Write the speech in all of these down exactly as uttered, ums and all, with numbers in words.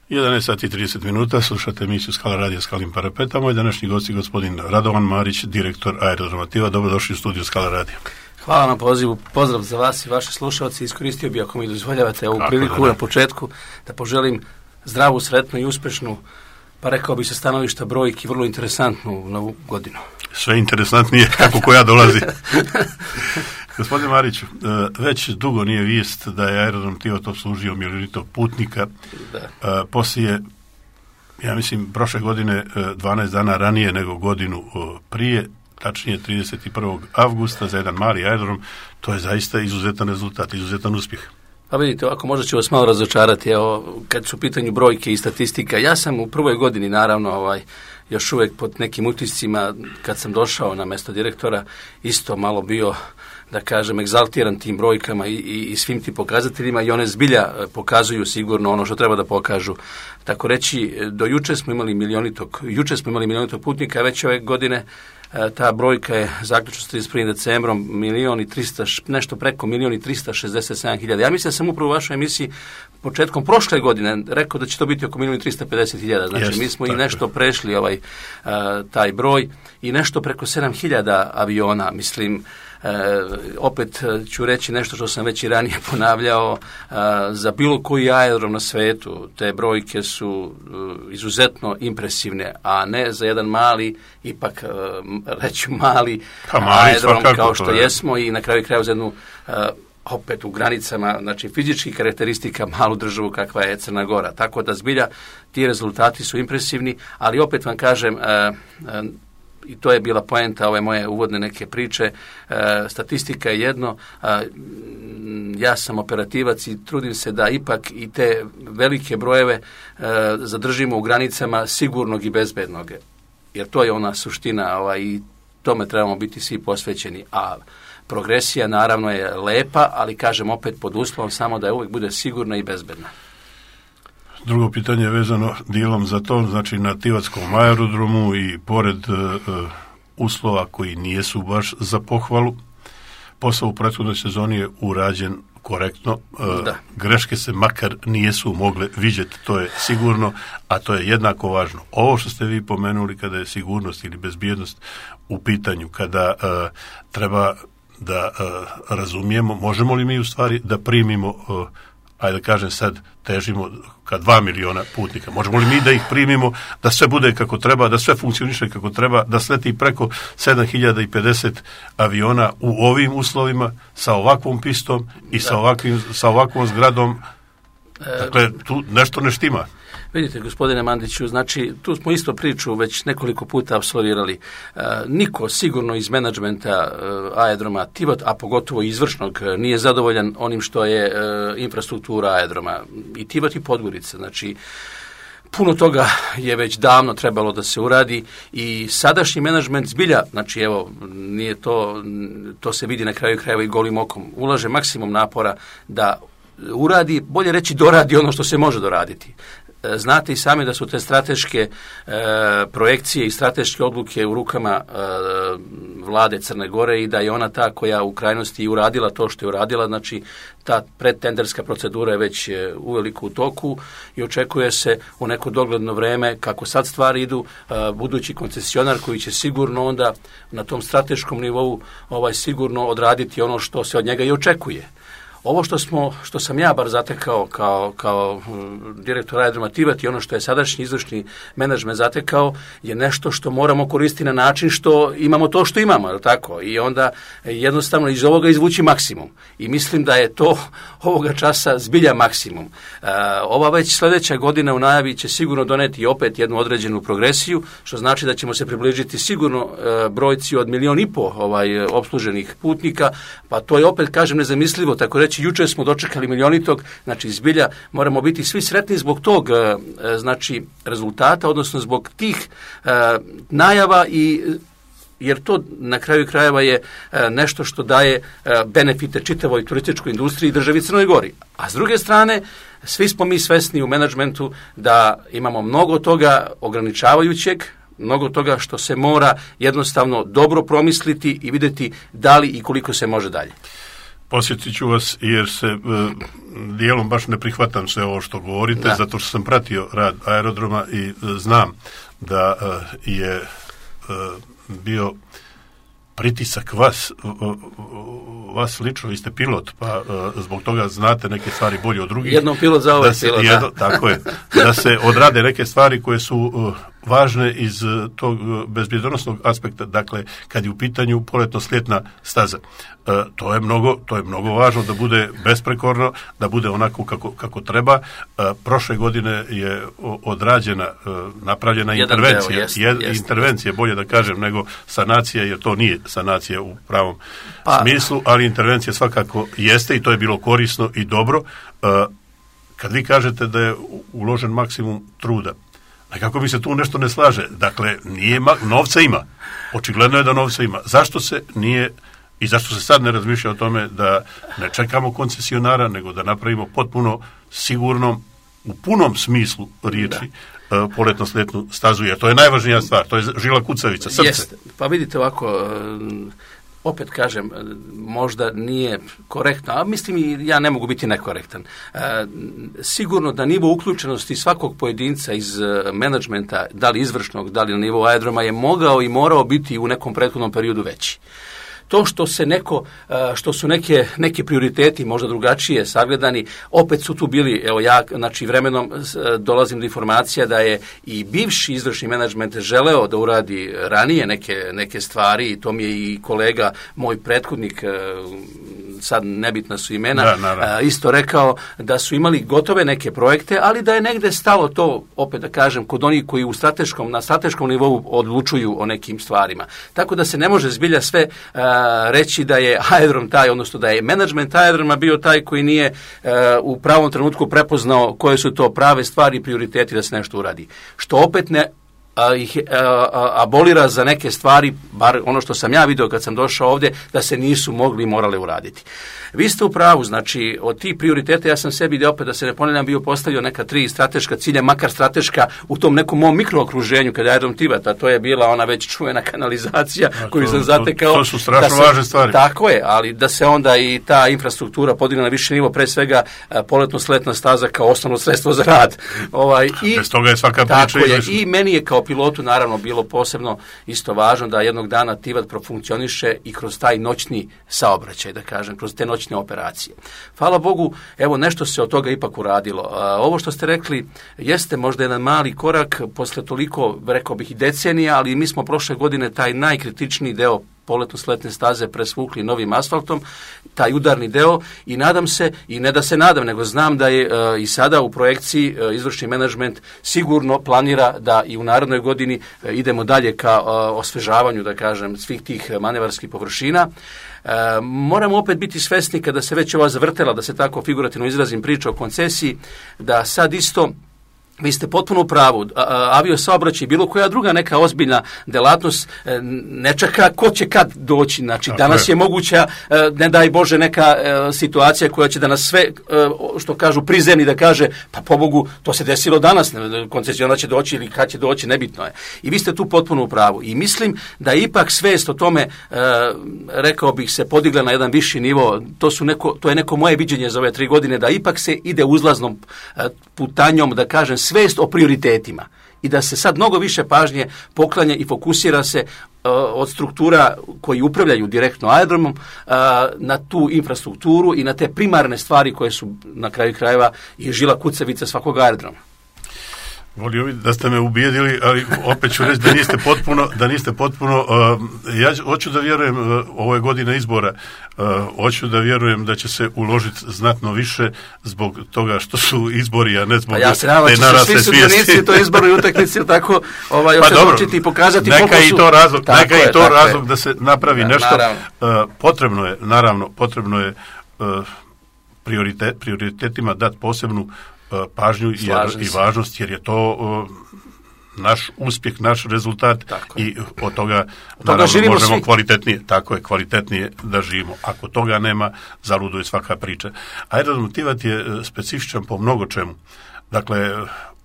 jedanaest sati i trideset minuta, slušate emisiju Skala radija Skalim parapeta. Moj današnji gost je gospodin Radovan Marić, direktor Aerodroma Tivat. Dobrodošli u studiju Skala radija. Hvala na pozivu, pozdrav za vas i vaše slušalci. Iskoristio bih, ako mi dozvoljavate, ovu Kako priliku da, da. na početku da poželim zdravu, sretnu i uspešnu, pa rekao bi se stanovišta brojki, vrlo interesantnu novu godinu. Sve interesantnije kako koja dolazi. Gospodin Marić, već dugo nije vijest da je Aerodrom Tivat obslužio milionitog putnika. Da. Poslije, ja mislim, prošle godine dvanaest dana ranije nego godinu prije, tačnije trideset prvog avgusta za jedan mali aerodrom, to je zaista izuzetan rezultat, izuzetan uspjeh. Pa vidite, ovako možda ću vas malo razočarati, evo, kad su u pitanju brojke i statistika. Ja sam u prvoj godini, naravno, ovaj, još uvijek pod nekim utiscima, kad sam došao na mjesto direktora, isto malo bio, da kažem, egzaltiran tim brojkama i, i, i svim tim pokazateljima, i one zbilja pokazuju sigurno ono što treba da pokažu. Tako reći, do juče smo imali milionitog, juče smo imali milionitog putnika, već ove godine ta brojka je zaključno s trideset prvim decembrom milion i trista, nešto preko milion i trista šezdeset sedam hiljada. Ja mislim da sam upravo u vašoj emisiji početkom prošle godine rekao da će to biti oko milion i trista pedeset hiljada. Znači, Jest, mi smo i nešto je. prešli ovaj, uh, taj broj i nešto preko sedam hiljada aviona, mislim. E, opet ću reći nešto što sam već i ranije ponavljao, e, za bilo koji aerodrom na svetu te brojke su e, izuzetno impresivne, a ne za jedan mali, ipak e, reći mali, pa, mali aerodrom kao što je. jesmo i na kraju kraju za jednu e, opet u granicama, znači fizičkih karakteristika malu državu kakva je Crna Gora. Tako da zbilja ti rezultati su impresivni, ali opet vam kažem, e, e, i to je bila poenta ove moje uvodne neke priče, e, statistika je jedno, a, ja sam operativac i trudim se da ipak i te velike brojeve e, zadržimo u granicama sigurnog i bezbednog, jer to je ona suština, ovaj, i tome trebamo biti svi posvećeni, a progresija naravno je lepa, ali kažem opet pod uslovom samo da je uvijek bude sigurna i bezbedna. Drugo pitanje je vezano dijelom za to, znači na Tivatskom aerodromu i pored uh, uslova koji nijesu baš za pohvalu, posao u prethodnoj sezoni je urađen korektno, uh, greške se makar nijesu mogle vidjeti, to je sigurno, a to je jednako važno. Ovo što ste vi pomenuli kada je sigurnost ili bezbjednost u pitanju, kada uh, treba da uh, razumijemo, možemo li mi u stvari da primimo, uh, ajde da kažem sad, težimo ka dva miliona putnika. Možemo li mi da ih primimo, da sve bude kako treba, da sve funkcioniše kako treba, da sleti preko sedam hiljada pedeset aviona u ovim uslovima, sa ovakvom pistom i sa, ovakvim, sa ovakvom zgradom? Dakle, tu nešto ne štima. Vidite, gospodine Mandiću, znači, tu smo isto priču već nekoliko puta apsolvirali. E, niko sigurno iz menadžmenta e, aerodroma Tivat, a pogotovo izvršnog, nije zadovoljan onim što je e, infrastruktura aerodroma. I Tivat i Podgorica, znači, puno toga je već davno trebalo da se uradi i sadašnji menadžment zbilja, znači evo, nije to, to se vidi na kraju krajeva i golim okom, ulaže maksimum napora da uradi, bolje reći doradi ono što se može doraditi. Znate i sami da su te strateške e, projekcije i strateške odluke u rukama e, vlade Crne Gore i da je ona ta koja u krajnosti i uradila to što je uradila, znači ta predtenderska procedura je već e, uveliko u toku i očekuje se u neko dogledno vreme, kako sad stvari idu, e, budući koncesionar koji će sigurno onda na tom strateškom nivou ovaj sigurno odraditi ono što se od njega i očekuje. Ovo što smo, što sam ja bar zatekao kao, kao direktor aerodroma Tivat i ono što je sadašnji izvršni menadžment zatekao je nešto što moramo koristiti na način što imamo to što imamo, je tako? I onda jednostavno iz ovoga izvući maksimum. I mislim da je to ovoga časa zbilja maksimum. E, ova već sljedeća godina u najavi će sigurno doneti opet jednu određenu progresiju, što znači da ćemo se približiti sigurno e, brojci od milion i po ovaj, opsluženih putnika, pa to je opet, kažem, nezamislivo, tako reći. Juče smo dočekali milionitog, znači zbilja moramo biti svi sretni zbog tog znači rezultata, odnosno zbog tih e, najava i jer to na kraju krajeva je e, nešto što daje e, benefite čitavoj turističkoj industriji i državi Crnoj Gori. A s druge strane, svi smo mi svesni u menadžmentu da imamo mnogo toga ograničavajućeg, mnogo toga što se mora jednostavno dobro promisliti i vidjeti da li i koliko se može dalje. Posjetit ću vas jer se e, dijelom baš ne prihvatam sve ovo što govorite, da. Zato što sam pratio rad aerodroma i e, znam da e, je e, bio pritisak vas, vas lično, vi ste pilot, pa uh, zbog toga znate neke stvari bolje od drugih. Jednom pilot za ovaj pilot, jedno, da. Tako je, da se odrade neke stvari koje su uh, važne iz uh, tog uh, bezbjednosnog aspekta, dakle, kad je u pitanju poletno-slijetna staza. Uh, to je mnogo, to je mnogo važno da bude besprekorno, da bude onako kako, kako treba. Uh, prošle godine je odrađena, uh, napravljena Jedan intervencija, deo, jest, jed, jest, intervencija, bolje da kažem, nego sanacija, jer to nije sanacija u pravom pa, smislu, ali intervencija svakako jeste i to je bilo korisno i dobro. Uh, kad vi kažete da je uložen maksimum truda, nekako mi se tu nešto ne slaže. Dakle, nije ma- novca ima. Očigledno je da novca ima. Zašto se nije i zašto se sad ne razmišlja o tome da ne čekamo koncesionara, nego da napravimo potpuno sigurnom, u punom smislu riječi, da. uh, poletno-slijetnu stazu, jer to je najvažnija stvar, to je žila kucavica, srce. Jest. Pa vidite ovako, opet kažem, možda nije korektno, a mislim i ja ne mogu biti nekorektan. E, sigurno da nivo uključenosti svakog pojedinca iz menadžmenta, da li izvršnog, da li na nivou aerodroma, je mogao i morao biti u nekom prethodnom periodu veći. To što se neko, što su neke, neke prioriteti možda drugačije sagledani, opet su tu bili, evo ja, znači vremenom dolazim do informacija da je i bivši izvršni menadžment želeo da uradi ranije neke, neke stvari, i to mi je i kolega, moj prethodnik, sad nebitna su imena, da, isto rekao da su imali gotove neke projekte, ali da je negde stalo to, opet da kažem, kod onih koji u strateškom, na strateškom nivou odlučuju o nekim stvarima. Tako da se ne može zbilja sve reći da je aerodrom taj, odnosno da je menadžment aerodroma bio taj koji nije uh, u pravom trenutku prepoznao koje su to prave stvari i prioriteti da se nešto uradi. Što opet ne a, ih a, abolira za neke stvari, bar ono što sam ja vidio kad sam došao ovdje, da se nisu mogli i morale uraditi. Vi ste u pravu, znači od tih prioriteta ja sam sebi, da opet da se ne ponavljam, bio postavio neka tri strateška cilja, makar strateška u tom nekom mom mikrookruženju kada je aerodrom Tivat, a to je bila ona već čuvena kanalizacija a, koju to, sam zatekao. To, to su strašno se, važne stvari. Tako je, ali da se onda i ta infrastruktura podigne na više nivo, pre svega poletno-sletna staza kao osnovno sredstvo za rad. Ovaj, i, Bez toga je svaka priča izlišna. I meni je kao pilotu naravno bilo posebno isto važno da jednog dana Tivat profunkcioniše i kroz taj noćni saobraćaj, da kažem, kroz te noćne operacije. Hvala Bogu, evo nešto se od toga ipak uradilo. A, ovo što ste rekli jeste možda jedan mali korak posle toliko, rekao bih, i decenija, ali mi smo prošle godine taj najkritičniji deo poletno-sletne staze presvukli novim asfaltom, taj udarni deo, i nadam se, i ne da se nadam, nego znam da je e, i sada u projekciji e, izvršni menadžment sigurno planira da i u narednoj godini e, idemo dalje ka e, osvežavanju, da kažem, svih tih manevarskih površina. E, moramo opet biti svesni, kada se već ova zavrtela, da se tako figurativno izrazim, priča o koncesiji, da sad isto vi ste potpuno u pravu, avio saobraćaj, bilo koja druga neka ozbiljna delatnost ne čeka ko će kad doći. Znači, okay. Danas je moguća, ne daj Bože, neka situacija koja će da nas sve, što kažu, prizemni, da kaže, pa pobogu, to se desilo danas, koncesionar će doći ili kad će doći, nebitno je. I vi ste tu potpuno u pravu. I mislim da ipak svest o tome, rekao bih, se podigla na jedan viši nivo. To, su neko, to je neko moje viđenje za ove tri godine, da ipak se ide uzlaznom putanjom, da kažem, svest o prioritetima i da se sad mnogo više pažnje poklanja i fokusira se uh, od struktura koji upravljaju direktno aerodromom uh, na tu infrastrukturu i na te primarne stvari koje su na kraju krajeva i žila kucavica svakog aerodroma. Volio bi da ste me ubijedili, ali opet ću reći da niste potpuno, da niste potpuno, uh, ja hoću da vjerujem, uh, ovo je godina izbora, uh, hoću da vjerujem da će se uložiti znatno više zbog toga što su izbori, a ne zbog pa ja se nadam, te narasle svijesti. Svi sudionici to izbornoj utakmici, tako ovaj, pa dobro, i pokazati neka koliko su... i to razlog, neka je, i to razlog je. Da se napravi ja, nešto. Uh, potrebno je, naravno, potrebno je uh, prioritet, prioritetima dati posebnu pažnju jer, i važnost, jer je to uh, naš uspjeh, naš rezultat i od toga, od toga naravno možemo svi. kvalitetnije, tako je, kvalitetnije da živimo. Ako toga nema, zaluduje svaka priča. Aerodrom Tivat je specifičan po mnogo čemu. Dakle,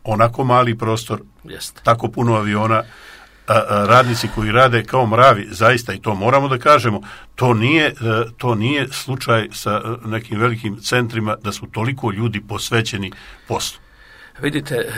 onako mali prostor, Jest. tako puno aviona, a, a, radnici koji rade kao mravi, zaista, i to moramo da kažemo, to nije, to nije slučaj sa nekim velikim centrima da su toliko ljudi posvećeni poslu. Vidite,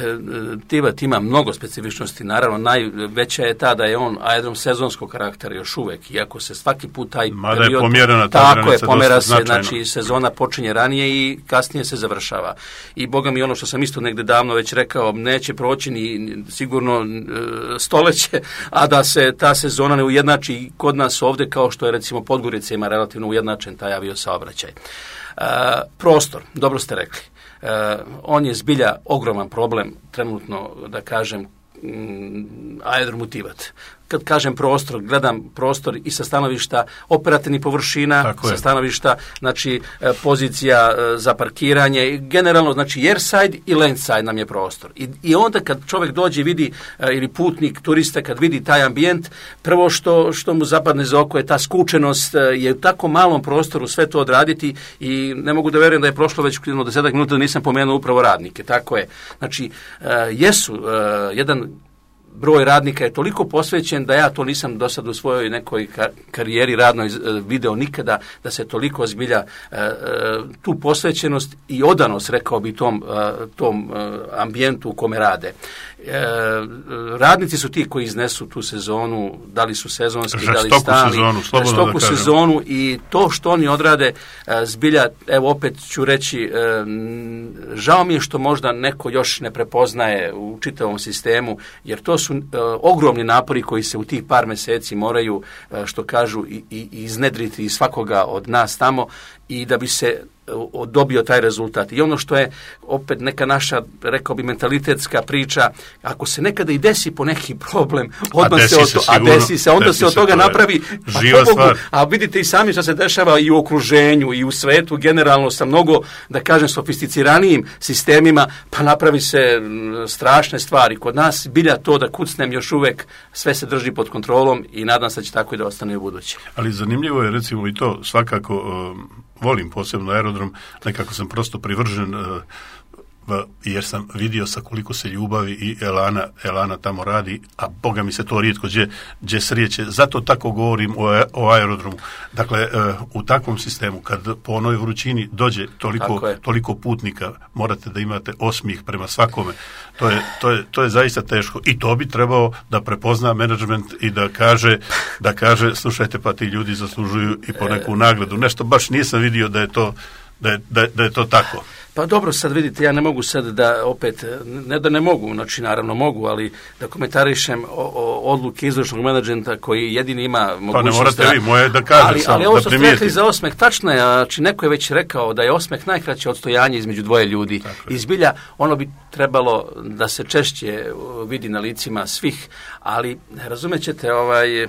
Tivat ima mnogo specifičnosti, naravno najveća je ta da je on aerodrom sezonskog karaktera još uvek, iako se svaki put taj Mada period... je pomjerena ta tako granica, je, pomera se, značajno. znači sezona počinje ranije i kasnije se završava. I boga mi ono što sam isto negde davno već rekao, neće proći ni sigurno stoleće, a da se ta sezona ne ujednači kod nas ovde, kao što je recimo Podgorica ima relativno ujednačen taj avio saobraćaj. Uh, prostor, dobro ste rekli. Uh, on je zbilja ogroman problem trenutno, da kažem, mm, aerodromu Tivat. Kad kažem prostor, gledam prostor i sa stanovišta operativnih površina, Tako sa je. stanovišta, znači, pozicija za parkiranje, generalno, znači, airside i landside nam je prostor. I, i onda kad čovjek dođe i vidi, ili putnik, turista, kad vidi taj ambijent, prvo što, što mu zapadne za oko je ta skučenost, je u tako malom prostoru sve to odraditi i ne mogu da verujem da je prošlo već jedno desetak minuta da nisam pomenuo upravo radnike. Tako je. Znači, jesu jedan broj radnika je toliko posvećen da ja to nisam do sad u svojoj nekoj karijeri radnoj video nikada, da se toliko zbilja tu posvećenost i odanost, rekao bi, tom, tom ambijentu u kome rade. Radnici su ti koji iznesu tu sezonu, da li su sezonski, da li stali, sezonu, žestoku da sezonu, i to što oni odrade zbilja, evo opet ću reći, žao mi je što možda neko još ne prepoznaje u čitavom sistemu, jer to su ogromni napori koji se u tih par meseci moraju, što kažu, i, i iznedriti iz svakoga od nas tamo, i da bi se dobio taj rezultat. I ono što je opet neka naša, rekao bi, mentalitetska priča, ako se nekada i desi po neki problem, odmah se, se, to, a desi se, onda desi se od toga napravi živa stvar. A vidite i sami što se dešava i u okruženju i u svetu generalno sa mnogo, da kažem, sofisticiranijim sistemima, pa napravi se strašne stvari. Kod nas bilja to, da kucnem, još uvek sve se drži pod kontrolom i nadam se da će tako i da ostane u buduće. Ali zanimljivo je recimo i to, svakako um, volim posebno aerodrom, nekako sam prosto privržen, uh, jer sam vidio sa koliko se ljubavi i elana, elana tamo radi, a boga mi se to rijetko gdje, gdje srijeće. Zato tako govorim o, o aerodromu. Dakle, uh, u takvom sistemu, kad po onoj vrućini dođe toliko, toliko putnika, morate da imate osmijeh prema svakome. To je, to je, to je zaista teško. I to bi trebao da prepozna menadžment i da kaže, da kaže, slušajte, pa ti ljudi zaslužuju i po neku nagradu. Nešto baš nisam vidio da je to, da je, da, da je to tako. Pa dobro, sad vidite, ja ne mogu sad da opet, ne da ne mogu, znači naravno mogu, ali da komentarišem o, o odluke izvršnog menadžmenta koji jedini ima mogućnost. Pa ne morate da, vi, moje da kažem ali, samo, ali ovo da što ste rekli za osmeh, tačno je, znači neko je već rekao da je osmeh najkraće odstojanje između dvoje ljudi. I zbilja ono bi trebalo da se češće vidi na licima svih, ali razumećete, ovaj,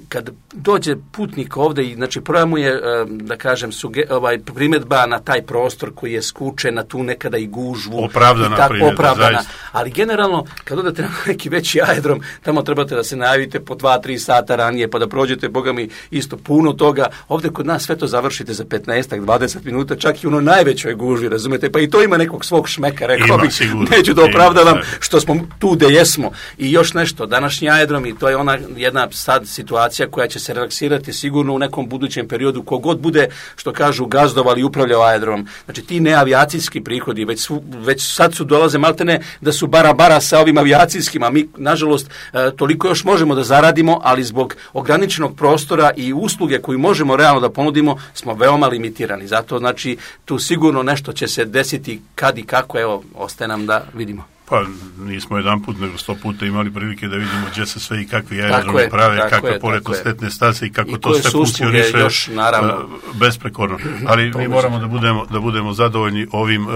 kad dođe putnik ovde i znači prva mu je, da kažem, suge, ovaj, primjedba na taj prostor koji je skučen, na tu nekada i gužvu. Opravdana i tako, primjedba, opravdana. zaista. Ali generalno, kad odete na neki veći aerodrom, tamo trebate da se najavite po dva tri sata ranije, pa da prođete, boga mi, isto puno toga. Ovde kod nas sve to završite za petnaest do dvadeset minuta, čak i u ono najvećoj gužvi, razumete? Pa i to ima nekog svog šmeka, rekao bih. Neću da opravdavam ima, što smo tu gde jesmo. I još nešto, današnji aerodrom, i to je ona jedna sad situacija koja će se relaksirati sigurno u nekom budućem periodu, kogod bude, što kažu, gazdovali i upravljao aerodrom. Znači ti neavijacijski prihodi već, su, već sad su dolaze maltene da su bara bara sa ovim avijacijskim, a mi nažalost toliko još možemo da zaradimo, ali zbog ograničenog prostora i usluge koju možemo realno da ponudimo smo veoma limitirani. Zato znači tu sigurno nešto će se desiti kad i kako, evo, ostaje nam da vidimo. Pa nismo jedan put, nego sto puta imali prilike da vidimo gdje se sve i kakvi aerodromi prave, kakve poletno-sletne stase i kako I to sve funkcioniše još, naravno, besprekorno. Ali mi moramo da budemo, da budemo zadovoljni ovim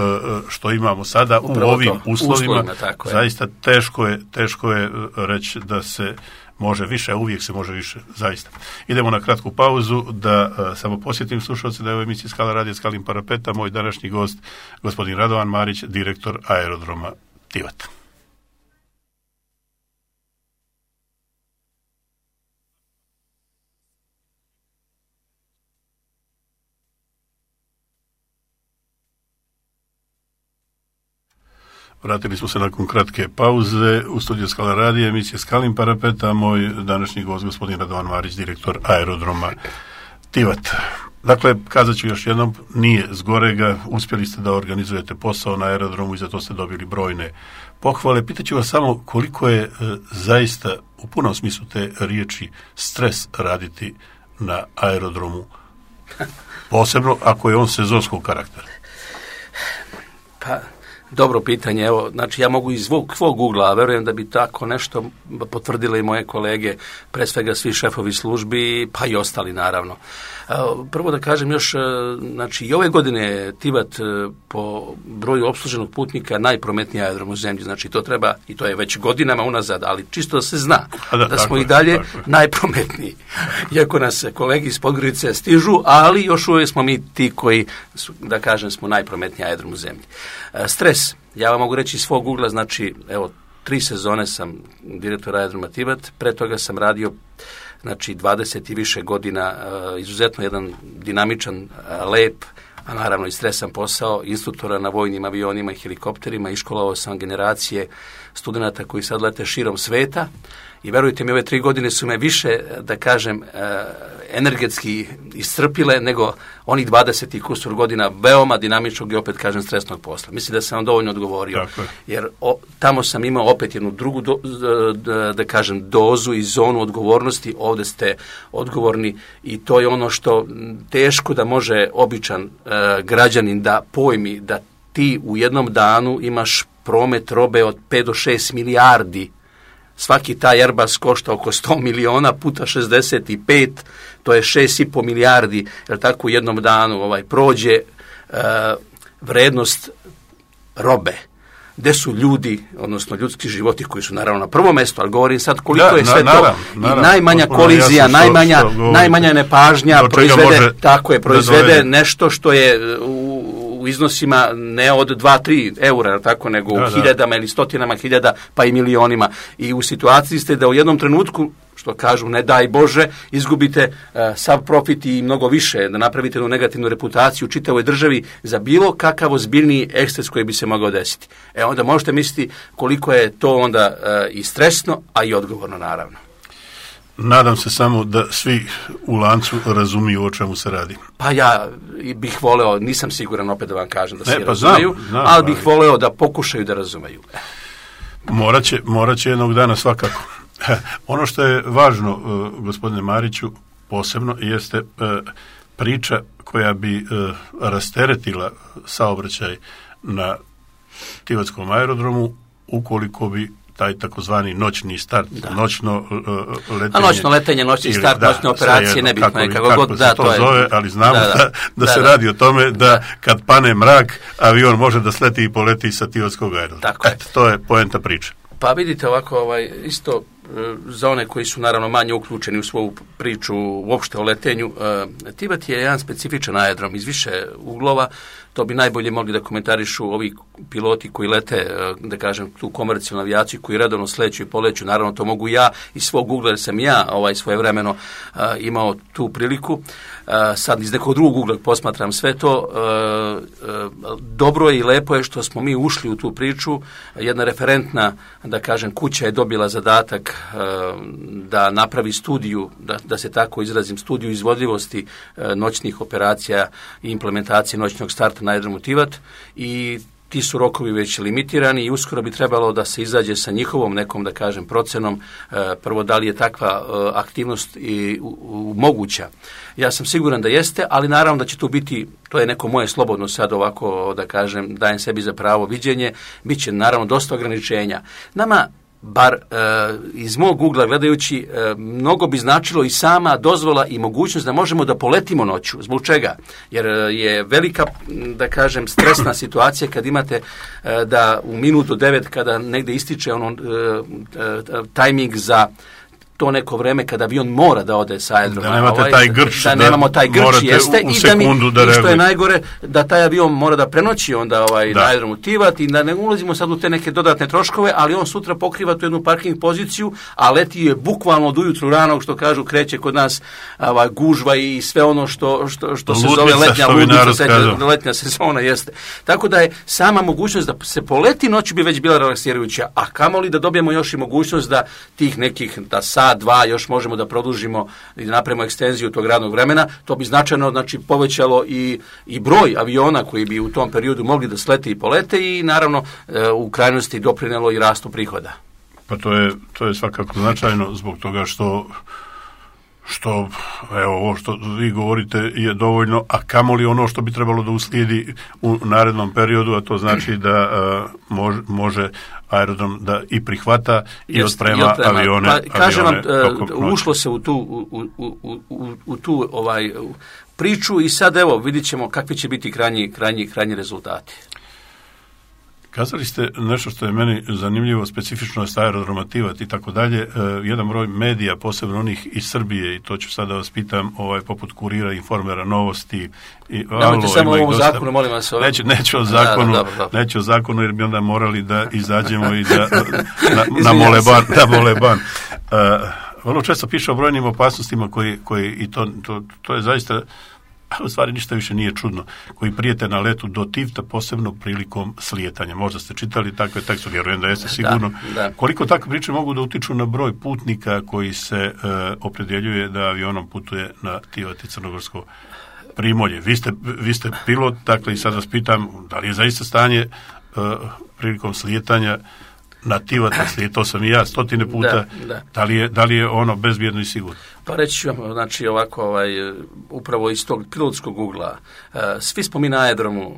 što imamo sada. Upravo u ovim to, uslovima. uslovima zaista teško je, teško je reći da se može više, a uvijek se može više, zaista. Idemo na kratku pauzu, da uh, samo posjetim slušalce da je u emisiji Skala radija Skalin parapeta moj današnji gost, gospodin Radovan Marić, direktor aerodroma Tivat. Vratili smo se nakon kratke pauze u studiju Skala radija, emisije Skalin parapet, a moj današnji gost, gospodin Radovan Marić, direktor aerodroma Tivat. Dakle, kazat ću još jednom, nije zgorega, uspjeli ste da organizujete posao na aerodromu i za to ste dobili brojne pohvale. Pitaću vas samo koliko je e, zaista u punom smislu te riječi stres raditi na aerodromu, posebno ako je on sezonskog karaktera. Pa, dobro pitanje, evo, znači ja mogu iz svog ugla, a verujem da bi tako nešto potvrdile i moje kolege, pre svega svi šefovi službi, pa i ostali naravno. Prvo da kažem još, znači i ove godine je Tivat po broju opsluženog putnika najprometniji aerodrom u zemlji, znači to treba, i to je već godinama unazad, ali čisto da se zna da, da smo i dalje najprometniji. Iako nas kolegi iz Podgorice stižu, ali još uvijek smo mi ti koji, da kažem, smo najprometniji aerodrom u zemlji. Stres, ja vam mogu reći iz svog ugla, znači, evo, tri sezone sam direktor aerodroma Tivat, pre toga sam radio znači dvadeset i više godina, izuzetno jedan dinamičan, lep, a naravno i stresan posao, instruktora na vojnim avionima i helikopterima, iškolovao sam generacije studenata koji sad lete širom sveta i verujte mi, ove tri godine su me više, da kažem, energetski iscrpile nego onih dvadeset i kusur godina veoma dinamičnog i opet kažem stresnog posla. Mislim da sam vam dovoljno odgovorio, dakle. Jer o, tamo sam imao opet jednu drugu do, da, da kažem dozu i zonu odgovornosti, ovdje ste odgovorni i to je ono što teško da može običan e, građanin da pojmi da ti u jednom danu imaš promet robe od pet do šest milijardi. Svaki taj Airbus košta oko sto miliona puta šezdeset pet, to je šest i po milijardi, jer tako u jednom danu ovaj, prođe e, vrednost robe. Gde su ljudi, odnosno ljudski životi koji su naravno na prvom mjestu, ali govorim sad koliko da, je sve na, to naravno, naravno, najmanja kolizija, što, najmanja, što najmanja nepažnja proizvede, tako je, proizvede nešto što je u u iznosima ne od dva do tri eura, tako, nego da, u hiljadama da. ili stotinama hiljada, pa i milionima. I u situaciji ste da u jednom trenutku, što kažu, ne daj Bože, izgubite uh, sav profit i mnogo više, da napravite jednu negativnu reputaciju u čitavoj državi za bilo kakav ozbiljniji eksces koji bi se mogao desiti. E onda možete misliti koliko je to onda uh, i stresno, a i odgovorno naravno. Nadam se samo da svi u lancu razumiju o čemu se radi. Pa ja bih voleo, nisam siguran opet da vam kažem da svi e, pa razumeju, znam, znam, ali bih ali... voleo da pokušaju da razumeju. Morat će, morat će jednog dana svakako. Ono što je važno, uh, gospodine Mariću, posebno, jeste uh, priča koja bi uh, rasteretila saobraćaj na Tivatskom aerodromu ukoliko bi taj takozvani noćni start, da. noćno uh, letenje. A noćno letenje, noćni start, ili, noćne operacije, nebitno je kako, kako god da, to, to zove, je, ali znamo da, da, da, da se da, radi o tome da, da kad pane mrak, avion može da sleti i poleti sa Tivatskog aerodroma. Tako je. To je poenta priče. Pa vidite ovako, ovaj, isto za one koji su naravno manje uključeni u svoju priču uopšte o letenju, uh, Tivat je jedan specifičan aerodrom iz više uglova. To bi najbolje mogli da komentarišu ovi piloti koji lete, da kažem, tu komercijalnu avijaciju, koji redovno sleću i poleću. Naravno, to mogu ja iz svog ugla, jer sam ja ovaj, svojevremeno uh, imao tu priliku. Uh, sad iz nekog drugog ugla posmatram sve to. Uh, uh, dobro je i lepo je što smo mi ušli u tu priču. Jedna referentna, da kažem, kuća je dobila zadatak uh, da napravi studiju, da, da se tako izrazim, studiju izvodljivosti uh, noćnih operacija i implementacije noćnog starta na aerodromu Tivat i ti su rokovi već limitirani i uskoro bi trebalo da se izađe sa njihovom nekom, da kažem, procenom, e, prvo da li je takva e, aktivnost i u, u, moguća. Ja sam siguran da jeste, ali naravno da će tu biti, to je neko moje slobodno sad ovako, da kažem, dajem sebi za pravo viđenje, bit će naravno dosta ograničenja. Nama bar e, iz mog ugla gledajući, e, mnogo bi značilo i sama dozvola i mogućnost da možemo da poletimo noću. Zbog čega? Jer je velika, da kažem, stresna situacija kad imate e, da u minutu devet kada negde ističe ono e, e, tajming za to neko vreme kada avion mora da ode sa aerodroma. Da nemate ovaj, taj grč, da, da nemamo taj grč, jeste, u, u i da mi, da i što je najgore, da taj avion mora da prenoći onda ovaj, na aerodromu Tivat i da ne ulazimo sad u te neke dodatne troškove, ali on sutra pokriva tu jednu parking poziciju, a leti je bukvalno od ujutru ranog, što kažu, kreće kod nas ovaj, gužva i sve ono što, što, što se zove letnja ludnica, letnja sezona jeste. Tako da je sama mogućnost da se poleti noć bi već bila relaksirajuća, a kamoli da dobijemo još i mogućnost da tih nekih, da sat, dva još možemo da produžimo i da napravimo ekstenziju tog radnog vremena, to bi značajno znači, povećalo i, i broj aviona koji bi u tom periodu mogli da slete i polete i naravno u krajnosti doprinelo i rastu prihoda. Pa to je, to je svakako značajno zbog toga što što, evo, ovo što vi govorite je dovoljno, a kamoli ono što bi trebalo da uslijedi u narednom periodu, a to znači da a, može, može aerodrom da i prihvata i Jest, otprema, i otprema avione. Pa, kažem vam, avione, ušlo se u tu, u, u, u, u, u tu ovaj, priču i sad evo vidit ćemo kakvi će biti krajnji, krajnji, krajnji rezultati. Kazali ste nešto što je meni zanimljivo, specifičnost aerodroma Tivat i tako dalje. Jedan broj medija, posebno onih iz Srbije, i to ću sada vas pitam, ovaj, poput Kurira, Informera, Novosti. I, Nemojte samo o ovom zakonu, molim vas. Ovaj... Neću, neću o zakonu, da, dobro, dobro. neću o zakonu, jer bi onda morali da izađemo i da na, na moleban. Na moleban. Uh, vrlo često piše o brojnim opasnostima koji, koji i to, to, to je zaista... u stvari ništa više nije čudno, koji prijete na letu do Tivta, posebno prilikom slijetanja. Možda ste čitali takve tekste, vjerujem da jeste sigurno. Da, da. Koliko takve priče mogu da utiču na broj putnika koji se e, opredjeljuje da avionom putuje na Tivat i Crnogorsko primorje? Vi ste, vi ste pilot, dakle i sad vas pitam, da li je zaista stanje e, prilikom slijetanja na Tivat, slijetao sam i ja stotine puta, da, da. Da, li je, da li je ono bezbjedno i sigurno? Pa reći ću vam, znači ovako, ovaj, upravo iz tog pilotskog ugla, svi smo mi na aerodromu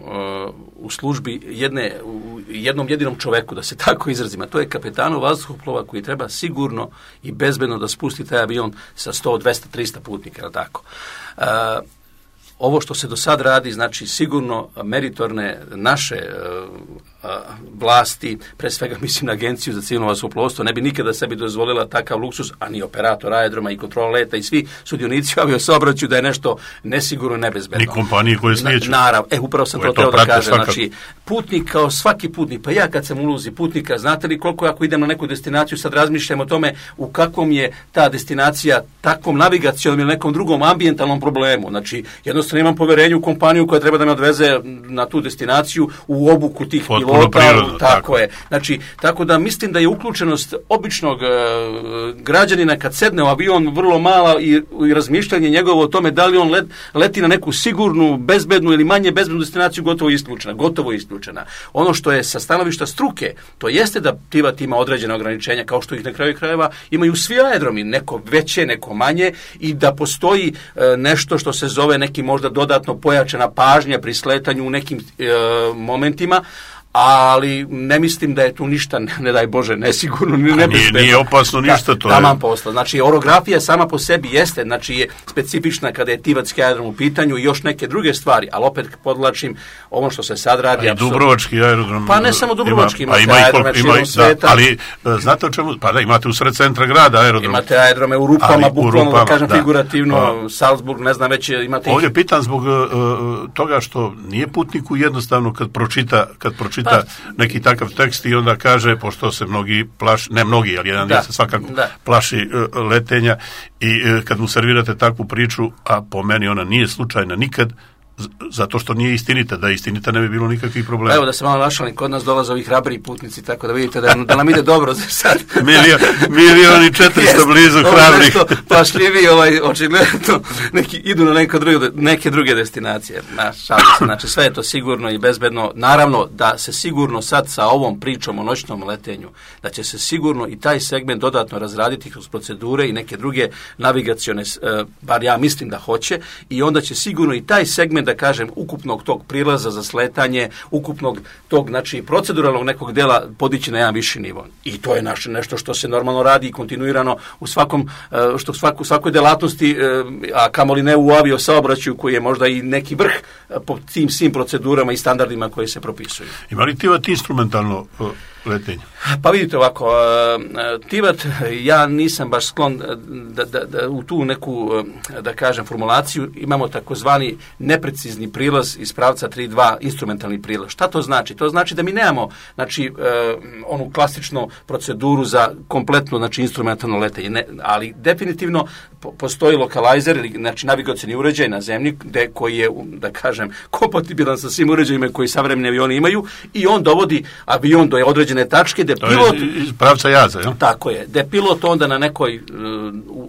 u službi jedne, u jednom jedinom čoveku, da se tako izrazima, to je kapetanu vazduhoplova koji treba sigurno i bezbedno da spusti taj avion sa sto, dvesta, trista putnika, je li tako? Ovo što se do sad radi, znači sigurno meritorne naše uh, vlasti, pre svega mislim na Agenciju za civilno vazduhoplovstvo, ne bi nikada sebi dozvolila takav luksus, a ni operator aerodroma i kontrola leta i svi sudionici aviosaobraćaja da je nešto nesigurno, nebezbedno. Ni kompanije koje slijeću. Na, naravno, e, upravo sam to teo da kažem. Znači, putnik kao svaki putnik, pa ja kad sam ulozi putnika, znate li koliko ako idem na neku destinaciju, sad razmišljam o tome u kakvom je ta destinacija takvom navigacijom ili nekom drugom ambijentalnom problemu. Znači, jednostavno imam poverenje u kompaniju koja treba da me odveze na tu destinaciju u obuku tih Potpuno pilota. Prirodno, tako, tako je. Znači, tako da mislim da je uključenost običnog e, građanina kad sedne u avion vrlo mala i, i razmišljanje njegovo o tome da li on let, leti na neku sigurnu, bezbednu ili manje bezbednu destinaciju gotovo isključena. Gotovo isključena. Ono što je sa stanovišta struke, to jeste da Tivat ima određena ograničenja, kao što ih na kraju krajeva imaju svi aerodromi, neko veće, neko manje, i da postoji e, nešto što se zove neki možda dodatno pojačana pažnja pri sletanju u nekim e, momentima, ali ne mislim da je tu ništa, ne, ne daj Bože, nesigurno, ni nebezbedno. Nije, nije opasno ništa, to je. Taman posla. Znači, orografija sama po sebi jeste, znači je specifična kada je Tivatski aerodrom u pitanju i još neke druge stvari, ali opet podlačim ovo što se sad radi. A i Dubrovački aerodrom. Pa ne samo Dubrovački, ima, imate ima aerodrome širom sveta. Da, ali znate o čemu? Pa da, imate u sred centra grada aerodrom. Imate aerodrome u rupama, bukvalno da kažem da, figurativno, pa, Salzburg, ne znam već imate... Ovdje ih... pitan zbog uh, toga što nije putniku jednostavno kad pročita, kad pročita pa, neki takav tekst i onda kaže, pošto se mnogi plaši, ne mnogi, ali jedan dio se svakako da. plaši uh, letenja i uh, kad mu servirate takvu priču, a po meni ona nije slučajna nikad, z- zato što nije istinita, da je istinita ne bi bilo nikakvih problema. Evo da se malo našalim, kod nas dolaze ovi hrabri putnici, tako da vidite da, da nam ide dobro za sad. Milion, milion i četiristo blizu hrabrih. Pašljivi, ovaj, očigledno, neki, idu na neke druge, neke druge destinacije. Na, šalim se, znači sve je to sigurno i bezbedno. Naravno da se sigurno sad sa ovom pričom o noćnom letenju, da će se sigurno i taj segment dodatno razraditi kroz procedure i neke druge navigacione, eh, bar ja mislim da hoće, i onda će sigurno i taj segment, da kažem, ukupnog tog prilaza za sletanje, ukupnog tog, znači, proceduralnog nekog dela podići na jedan viši nivo. I to je naše nešto što se normalno radi i kontinuirano u svakom, što svaku, svakoj delatnosti, a kamoli ne u aviosaobraćaju koji je možda i neki vrh po tim svim procedurama i standardima koji se propisuju. Ima li Tivat instrumentalno letenja? Pa vidite ovako, Tivat, ja nisam baš sklon da, da, da u tu neku, da kažem, formulaciju, imamo takozvani neprecizni prilaz iz pravca tri dva, instrumentalni prilaz. Šta to znači? To znači da mi nemamo, znači, onu klasičnu proceduru za kompletno, znači, instrumentalno letenje, ne, ali definitivno postoji lokalizer, znači navigacioni uređaj na zemlji, gde, koji je, da kažem, kompatibilan sa svim uređajima koji savremeni avioni imaju, i on dovodi avion do određene tačke gde to pilot... je iz pravca jaza, jel? Tako je. Gde pilot onda na nekoj uh,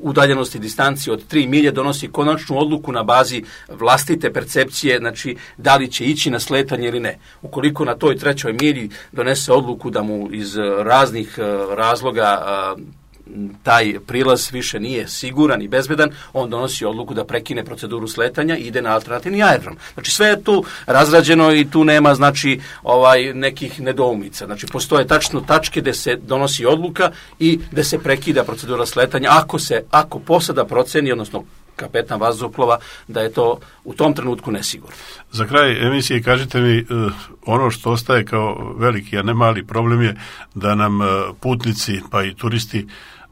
udaljenosti, distanci od tri milje donosi konačnu odluku na bazi vlastite percepcije, znači da li će ići na sletanje ili ne. Ukoliko na toj trećoj milji donese odluku da mu iz raznih uh, razloga uh, taj prilaz više nije siguran i bezbedan, on donosi odluku da prekine proceduru sletanja i ide na alternativni aerodrom. Znači sve je tu razrađeno i tu nema, znači, ovaj nekih nedoumica. Znači postoje tačno tačke gde se donosi odluka i gde se prekida procedura sletanja ako se ako posada proceni, odnosno kapetan vazduhoplova, da je to u tom trenutku nesigurno. Za kraj emisije kažite mi, ono što ostaje kao veliki, a ne mali problem je da nam putnici pa i turisti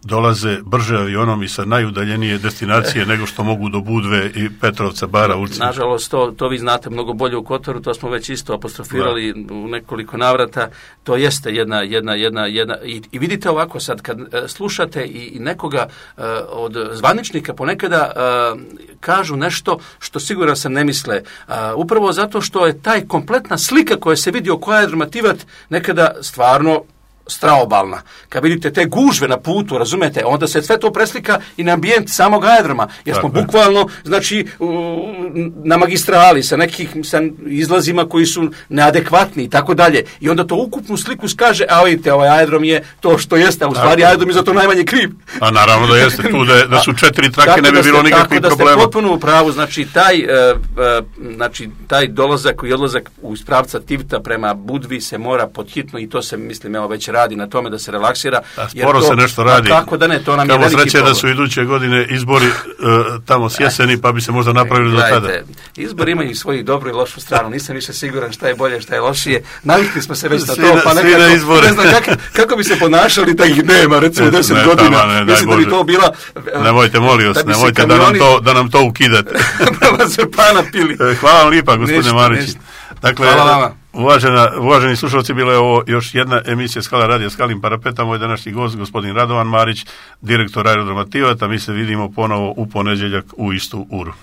dolaze brže avionom i sa najudaljenije destinacije nego što mogu do Budve i Petrovca, Bara, Ulcinja. Nažalost, to, to vi znate mnogo bolje u Kotoru, to smo već isto apostrofirali da. u nekoliko navrata. To jeste jedna, jedna, jedna, jedna i, i vidite ovako sad, kad uh, slušate i, i nekoga uh, od zvaničnika ponekada uh, kažu nešto što siguran sam ne misle. Uh, upravo zato što je taj kompletna slika koja se vidi oko aerodroma Tivat nekada stvarno straobalna. Kad vidite te gužve na putu, razumete, onda se sve to preslika i na ambijent samog aerodroma. Jer smo Tako bukvalno, znači, na magistrali sa nekih sa izlazima koji su neadekvatni i tako dalje. I onda to ukupnu sliku skaže, a vidite, ovaj aerodrom je to što jeste, a u stvari aerodrom je za to najmanje kriv. A naravno da jeste tu, da, da su četiri trake, tako ne bi da bilo ste, nikakvih tako problema. Da ste potpuno u pravu, znači taj, uh, uh, znači, taj dolazak i odlazak iz pravca Tivta prema Budvi se mora podhitno, i to se, mislim, evo već radi na tome da se relaksira. Da, sporo to, se nešto radi. Kako da ne, to nam Kamo je veliki sreće problem. Da su iduće godine izbori uh, tamo s jeseni, pa bi se možda napravili do tada. Izbori imaju svoju dobru i lošu stranu. Nisam više siguran šta je bolje, šta je lošije. Navikli smo se već na to, pa nekako, ne znam kako, kako bi se ponašali da ih nema, recimo deset ne, godina. Tamo, ne, mislim da bi to bila... Nemojte, molim vas, nemojte kamioni, da, nam to, da nam to ukidate. Da se pana pili. Hvala vam lijepa, gospodine Marić. Dakle, uvažena, uvaženi slušalci, bila je ovo još jedna emisija Skala radija Skalim Parapeta. Moj današnji gost, gospodin Radovan Marić, direktor aerodroma Tivat, a mi se vidimo ponovo u ponedjeljak u istu uru.